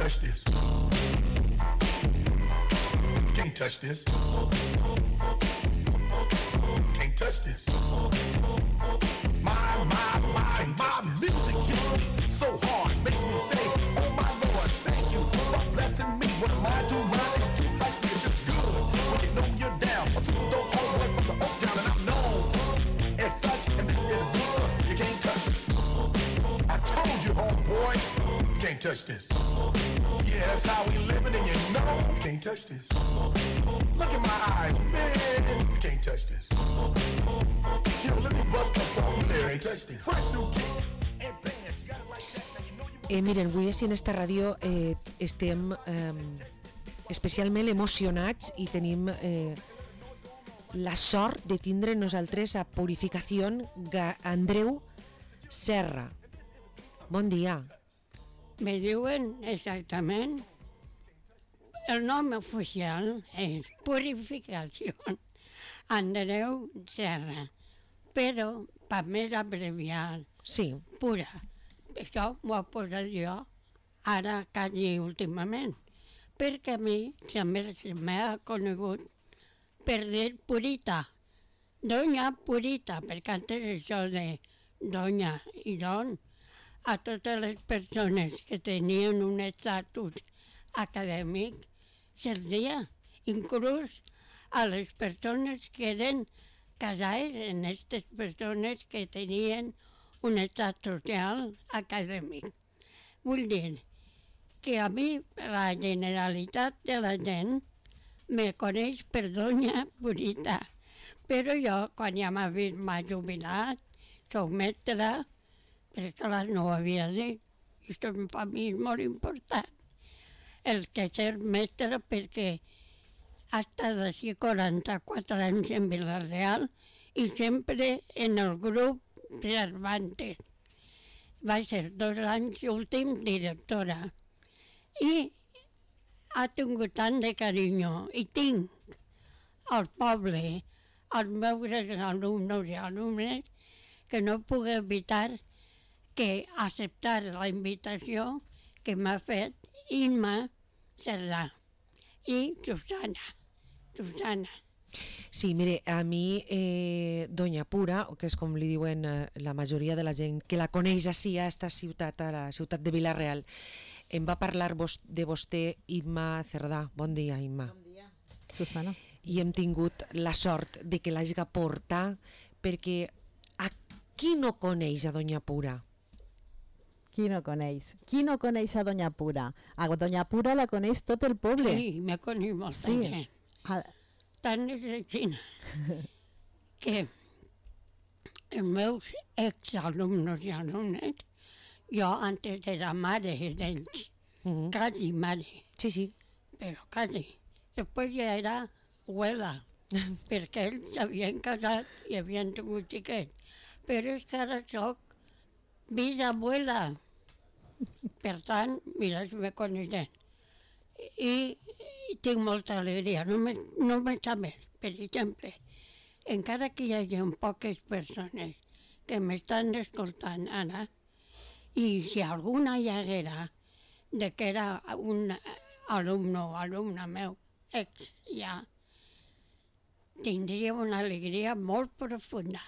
touch this. Can't touch this. Can't touch this. My music hits me so hard, makes me say, oh my Lord, thank you for blessing me. What am I to ride and do like this? It's good when you know you're down. A super homeboy from the Oak Town, and I'm known as such, and this is good. You can't touch it. I told you, homeboy, you can't touch this. Yeah, that's how we living, and you know you can't touch this. Look in my eyes, man, you can't touch this. Yo, let me bust the phone lyrics. Fresh new kicks and bands. You got it like that. Now you know you want. Miren, avui així en esta ràdio estem especialment emocionats i tenim la sort de tindre nosaltres a Purificació Andreu Serra. Bon dia. Me diuen exactament, el nom oficial és Purificació Andreu Serra, però per més abreviat, Sí. Pura. Això m'ho he posat jo ara quasi últimament, perquè a mi sempre se m'ha conegut per dir Purita, Doña Purita, perquè antes això de Doña i Don, a totes les persones que tenien un estatus acadèmic se'ls inclús a les persones que eren casades en aquestes persones que tenien un estat social acadèmic. Vull dir que a mi la generalitat de la gent me coneix per Doña Purita, però jo, quan ja m'ha vist m'ha jubilat, soc mestra, perquè clar, no ho havia dit, i això per mi és molt important. El que ser mestre, perquè ha estat així 44 anys en Vila-real i sempre en el grup Cervantes. Va ser 2 anys últim directora i ha tingut tant de carinyo i tinc al poble, als meus alumnes i alumnes, que no puc evitar que acceptar la invitació que m'ha fet Imma Cerdà i Susana. Sí, mire, a mi Doña Pura, que és com li diuen la majoria de la gent que la coneix així a esta ciutat, a la ciutat de Vila-real, em va parlar de vostè Imma Cerdà. Bon dia, Imma. Bon dia, Susana. I hem tingut la sort de que l'hagi portat, perquè a qui no coneix a Doña Pura? Qui no coneix? Qui no coneix a Doña Pura? A Doña Pura la coneix tot el poble. Sí, me coneix molta gent. Tant és així que els meus exalumnes i alumnes, jo antes era mare d'ells, quasi mare. Sí. Però quasi. Després ja era abuela, perquè ells s'havien casat i havien tingut xiquets. Però és que ara soc bisabuela. Per tant, mira, si me coneixen. I tinc molta alegria. Només a més, per exemple, encara que hi hagi poques persones que m'estan escoltant ara, i si alguna hi haguera de que era un alumne o alumna meu, ex ja, tindria una alegria molt profunda,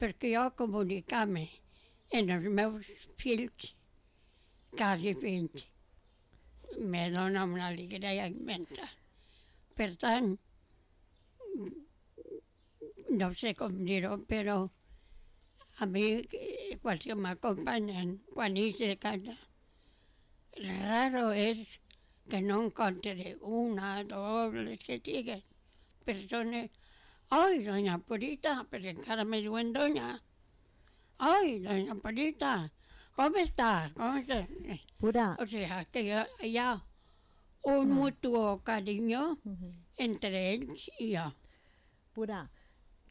perquè jo comunicar-me en els meus fills, quasi fills, me dona una alegria immensa. Per tant, no sé com dir-ho, però a mi, quan m'acompanyen, quan ix de casa, raro és que no encontre una, dos, les que siguin, persones. Ai, Doña Purita, perquè encara me diuen Doña. Ai, Doña Purita, com està? Pura. O sigui, que hi ha un mutuo carinyo entre ells i jo. Pura,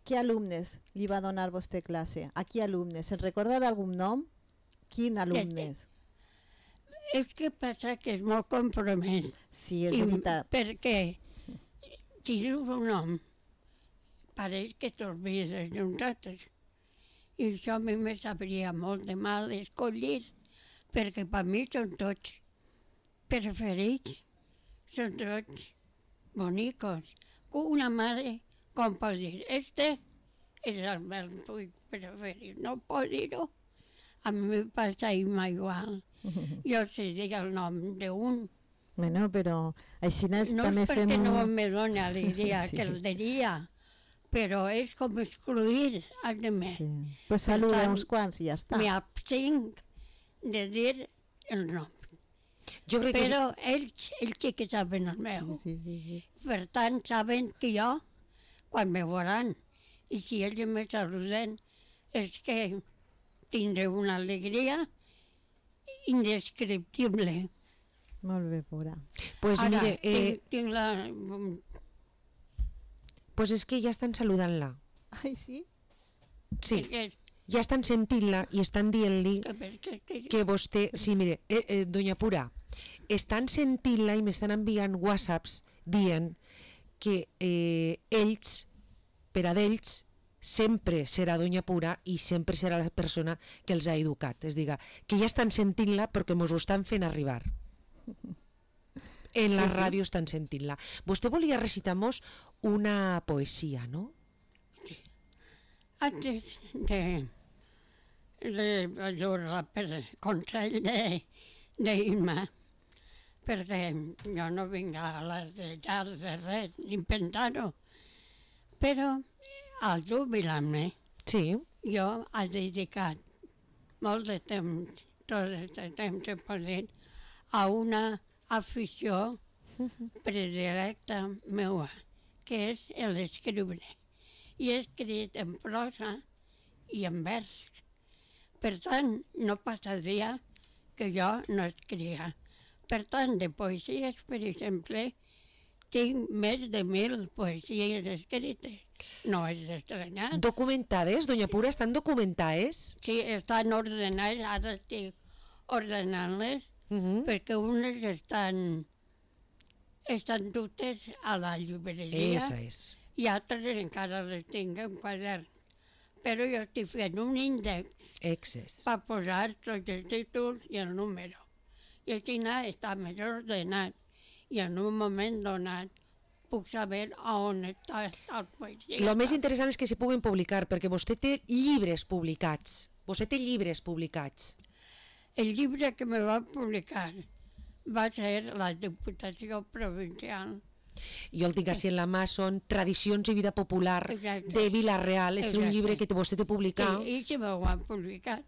què alumnes li va donar vostè classe? A qui alumnes? Se'n recorda d'algun nom? Quin alumnes? És que passa que és molt compromès. Sí, és veritat. Perquè si dius un nom, pareix que t'olvides d'uns altres. I això a mi me sabria molt de mal escollir, perquè per mi són tots. preferits són tots bonicos. Una mare, com pot dir, este és el meu fill preferit, no pot dir-ho. A mi me passa igual. Jo sé dir el nom d'un. Bueno, però així No també és fem... perquè no me dona alegria Sí. que el diria, però és com excluir als demés. Sí. Pues Per saluda tant, uns quants i ja està. Me abstinc de dir el nom. Jo crec que... Però ells sí que saben el meu. Sí. Per tant, saben que jo, quan me veuran, i si ells me saluden, és que tindré una alegria indescriptible. Molt bé, Pura. Pues Ara, mire, tinc la... pues és que ja estan saludant-la. Ai, sí? Sí, que- ja estan sentint-la i estan dient-li que- que vostè... Sí, mire, doña Pura, estan sentint-la i m'estan enviant whatsapps dient que ells, per a d'ells, sempre serà doña Pura i sempre serà la persona que els ha educat. És a dir, que ja estan sentint-la perquè mos ho estan fent arribar. En la ràdio estan sentint-la. Vostè volia recitar-nos una poesia, no? Antes de allò per consell d'Irma, perquè jo no vinc a les de res, ni pensar-ho, però al jubilar-me Sí. jo he dedicat molt de temps, tot el temps he posit, a una afició predilecta meua, que és l'escriure. I he escrit en prosa i en vers. Per tant, no passa dia que jo no escriga. Per tant, de poesies, per exemple, tinc més de 1.000 poesies escrites. No és estranyat. Documentades, doña Pura, estan documentades? Sí, estan ordenades, ara estic ordenant-les, Uh perquè unes estan dutes a la llibreria Esa és. i altres encara les tinc en quadern. Però jo estic fent un índex Exes. per posar tots els títols i el número. I així està més ordenat i en un moment donat puc saber on està el poesia. Lo més interessant és que se puguen publicar, perquè vostè té llibres publicats. Vostè té llibres publicats. El llibre que me va publicar va ser la Diputació Provincial. Jo el tinc així en la mà, són Tradicions i vida popular Exacte. de Vila-real. És un Exacte. llibre que vostè té publicat. I se m'ho han publicat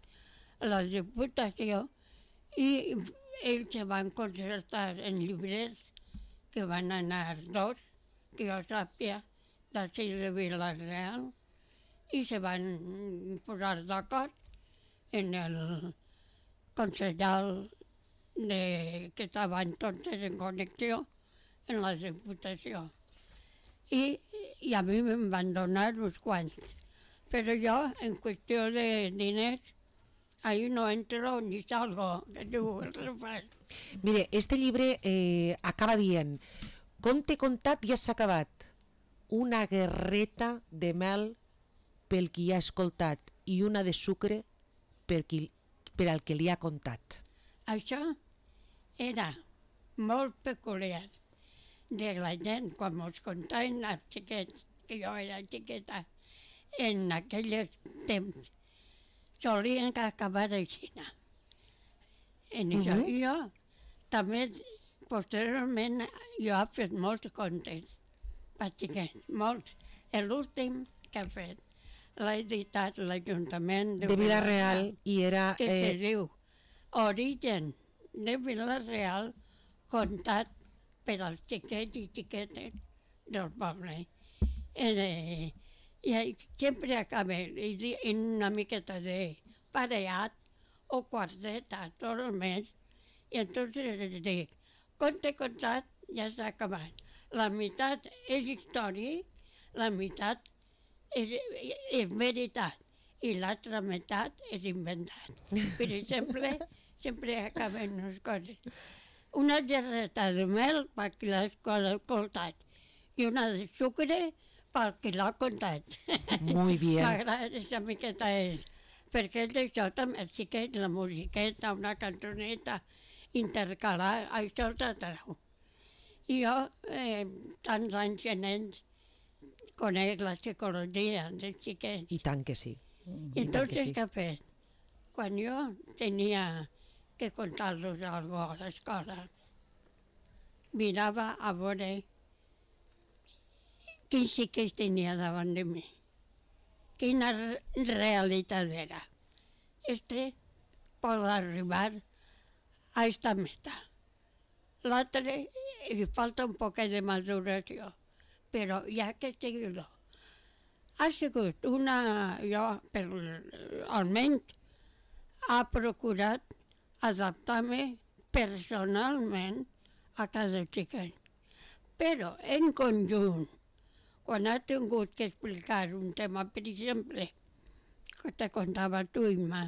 la Diputació i ells se van concertar en llibres que van anar 2, que jo sàpia, d'ací de Vila-real, i se van posar d'acord en el consellal que estaven tots en connexió en la Diputació. I a mi me'n van donar uns quants. Però jo, en qüestió de diners, ahí no entro ni salgo, que diu el refrany. Mire, este llibre acaba dient: conte contat ja s'ha acabat. Una guerreta de mel pel qui ha escoltat i una de sucre per al que li ha contat. Això era molt peculiar de la gent quan mos contaven els xiquets, que jo era xiqueta, en aquells temps, solien acabar així. En això. I jo també, posteriorment, jo he fet molts contes per xiquets, molts. L'últim que he fet l'ha editat l'Ajuntament De Vila-real i era... que se diu Origen de Vila-real contat per als xiquets i xiquetes del poble. I sempre acabé en una miqueta de pareat o quarteta tot el mes i entonces els dic, conte contat ja s'ha acabat. La meitat és històric, la meitat és veritat i l'altra meitat és inventat. Per exemple, sempre acaben les coses. Una gerreta de mel per qui l'ha escoltat i una de sucre per qui l'ha contat. Muy bien. M'agrada aquesta miqueta perquè és d'això també, sí que és la musiqueta, una cançoneta intercalar això de trau. I jo, tants anys en ells, conec la psicologia dels xiquets. I tant que sí. I entonces, què he fet? Quan jo tenia que contar-los alguna cosa a l'escola, mirava a veure quin xiquet tenia davant de mi, quina realitat era. Pot arribar a esta meta. L'altre li falta un poquet de maduració, però ja que sigui-lo. Ha sigut jo, almenys, ha procurat adaptar-me personalment a cada xiquet. Però, en conjunt, quan ha tingut que explicar un tema, per exemple, que te contava tu, Imma,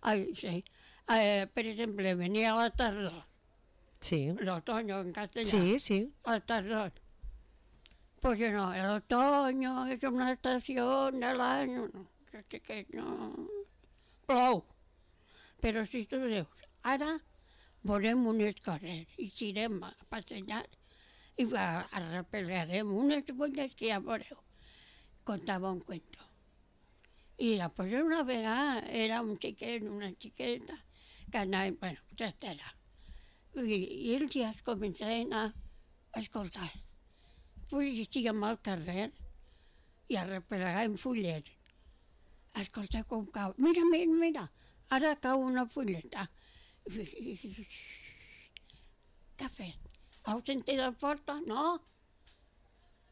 per exemple, venia a la tardor, Sí, el otoño en castellà, sí. a la tardor. Pues no, el otoño es una estación del año, no, que no, plou. Però si tu dius, ara veurem unes coses i irem a passejar i arreplegarem unes fulles que ja veureu. Contava un cuento. I després una vegada era un xiquet, una xiqueta, que anava, bueno, etcètera. I ells ja es començaven a escoltar. Pues estiguem al carrer i arreplegàvem fulles. Escolta com cau. Mira, ara cau una fulleta. Què ha fet? Heu sentit la porta? No?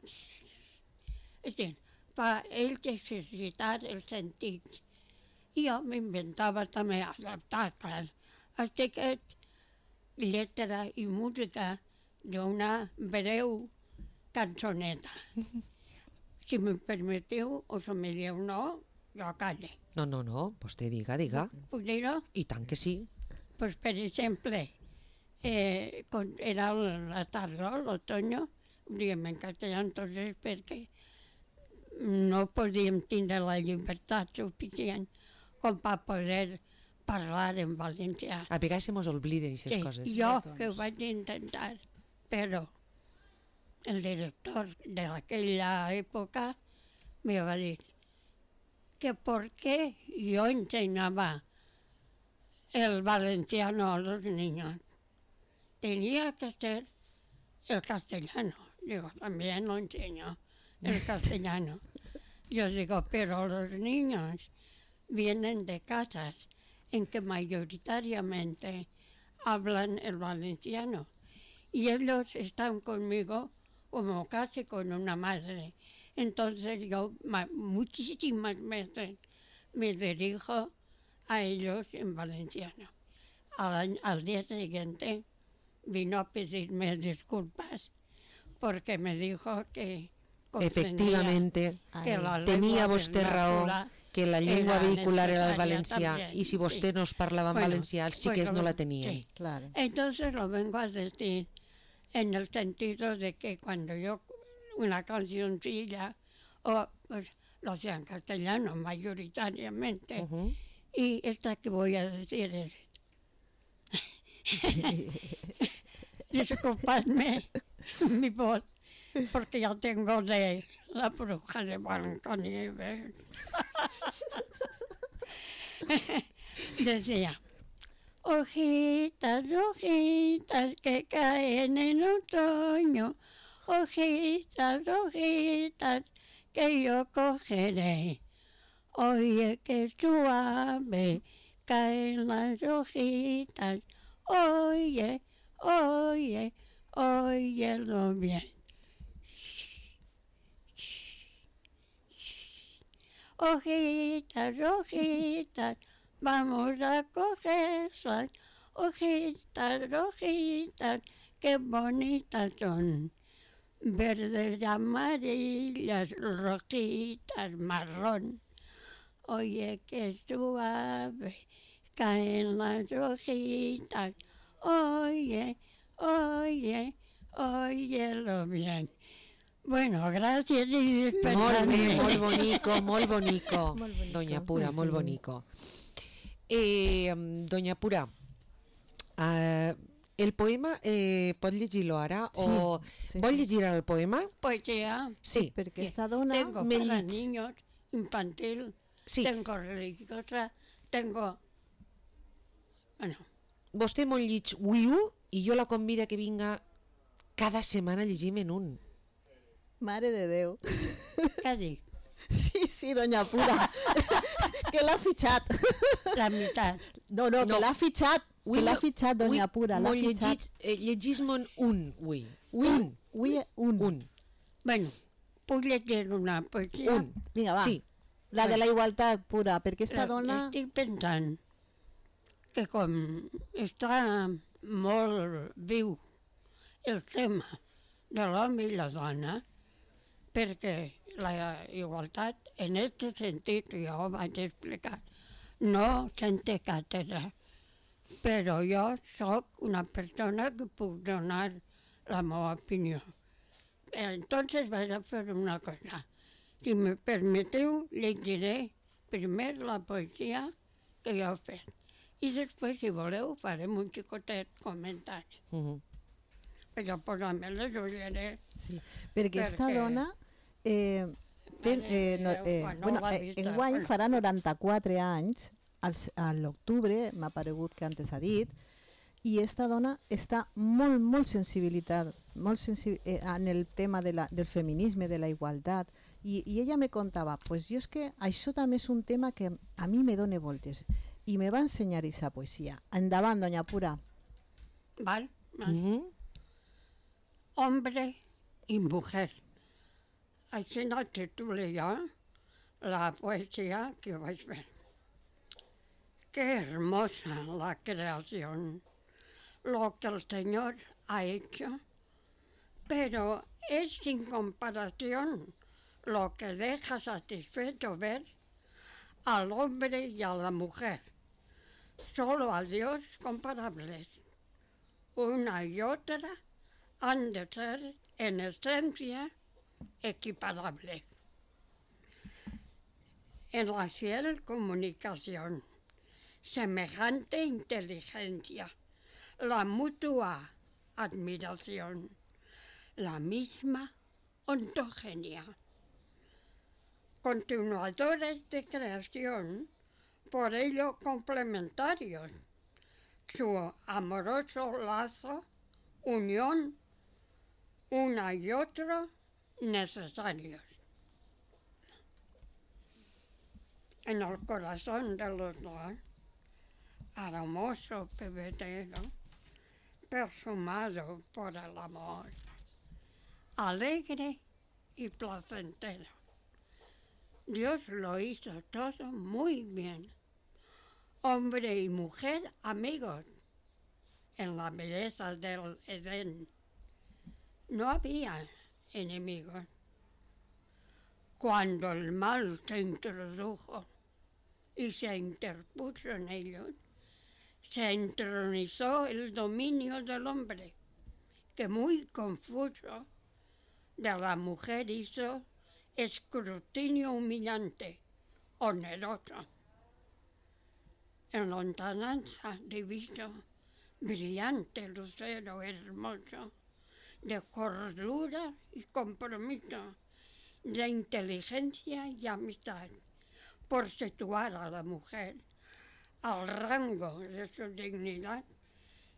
És a dir, per ells exercitar els sentits. I jo m'inventava també adaptar, clar, aquest lletra i música d'una breu cançoneta. Si me permeteu, o si me dieu no, jo calle. No, vostè diga. Puc dir-ho? I tant que sí. Pues, per exemple, quan era la tardor, l'otoño, ho diem en castellà, entonces, perquè no podíem tindre la llibertat suficient com per poder parlar en valencià. A vegades se mos obliden aquestes coses. Jo que ho vaig intentar, però el director d'aquella època me va dir que per què jo ensenyava el valenciano a los niños. Tenía que ser el castellano. Digo, también lo enseño, el castellano. Yo digo, pero los niños vienen de casas en que mayoritariamente hablan el valenciano. Y ellos están conmigo como casi con una madre. Entonces yo muchísimas veces me dirijo a ellos en valenciano. Al día siguiente vino a pedirme disculpas porque me dijo que efectivamente que la tenia lengua vostè raó, vernacular que la llengua era vehicular era el necesaria valencià también, i si vostè sí. no es parlava en Bueno, valencià, els xiquets no la tenien. sí. Claro. Entonces lo vengo a decir en el sentido de que cuando yo una cancioncilla, pues lo hacía en castellano mayoritariamente, y esta que voy a decir es... Disculpadme mi voz, porque ya tengo de la bruja de Blancanieves. Decía, hojitas, hojitas que caen en otoño, hojitas, hojitas que yo cogeré. Oye, qué suave caen las hojitas, oye, oye, óyelo bien. Hojitas, hojitas, vamos a cogerlas. Hojitas, hojitas, qué bonitas son. Verdes, amarillas, rojitas, marrón. Oye, qué suave caen las hojitas. Oye, oye, óyelo bien. Bueno, gràcies i Molt bé, despertant. molt bonico, molt bonico. Molt bonico. Doña Pura, molt Sí. bonico. Doña Pura, El poema, pot llegir-lo ara? Sí, O sí, vol sí. llegir ara el poema? Poesía. Sí. Perquè esta dona... Tengo me para llits. niños, infantil, Sí. tengo religiosa, tengo... Bueno, Vostè molt llits Wiu i jo la convido que vinga cada setmana a llegir-me en un. Mare de Déu. què dic? Sí, doña Pura. Que l'ha fitxat. La meitat. No, No. que l'ha fitxat. Que l'ha fitxat, doña Pura. L'ha Molt fitxat. llegís-me'n un, ui. Ui, un. Un. Bueno, puc llegir una poesia? Un. Vinga, va. Sí. La de la igualtat pura, perquè esta dona... Estic pensant que com està molt viu el tema de l'home i la dona, perquè la igualtat, en aquest sentit, ja ho vaig explicar, no sente càtedra, però jo sóc una persona que puc donar la meva opinió. Entonces vaig a fer una cosa. Si me permeteu, llegiré primer la poesia que jo he fet. I després, si voleu, farem un xicotet comentari. Però posar-me-les ho diré. Sí, perquè esta Perquè- dona... Quan no va dir enguany bueno. farà 94 anys, a l'octubre, m'ha paregut que antes ha dit, i esta dona està molt sensibilitat, en el tema del feminisme, de la igualtat, i ella me contava, pues jo és que això també és un tema que a mi me dona voltes, i me va ensenyar aquesta poesia. Endavant, doña Pura. ¿Vale? Mhm. Hombre y mujer. Així no titulé jo la poesía que vais a ver. Qué hermosa la creación, lo que el Señor ha hecho, pero es sin comparación lo que deja satisfecho ver al hombre y a la mujer, solo a Dios comparables. Una y otra han de ser en esencia equiparables. En la fiel comunicación, semejante inteligencia, la mutua admiración, la misma ontogenia. Continuadores de creación, por ello complementarios, su amoroso lazo, unión, una y otro necesarios. En el corazón de los dos, aromoso pebetero, perfumado por el amor, alegre y placentero. Dios lo hizo todo muy bien. Hombre y mujer amigos en la belleza del Edén. No había enemigos. Cuando el mal se introdujo y se interpuso en ellos, se entronizó el dominio del hombre, que muy confuso de la mujer hizo escrutinio humillante, oneroso. En lontananza divino, brillante lucero hermoso, de cordura y compromiso, de inteligencia y amistad, por situar a la mujer al rango de su dignidad,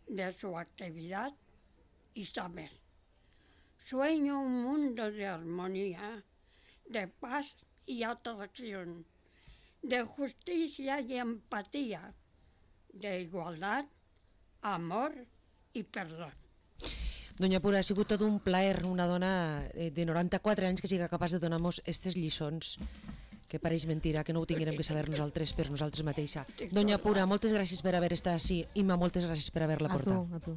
de su actividad y saber. Sueño un mundo de armonía, de paz y atracción, de justicia y empatía, de igualdad, amor y perdón. Doña Pura, ha sigut tot un plaer una dona de 94 anys que siga capaç de donar-nos aquestes lliçons, que pareix mentira, que no ho tinguérem que saber nosaltres per nosaltres mateixa. Doña Pura, moltes gràcies per haver estat així. Imma, moltes gràcies per haver-la portat. A tu.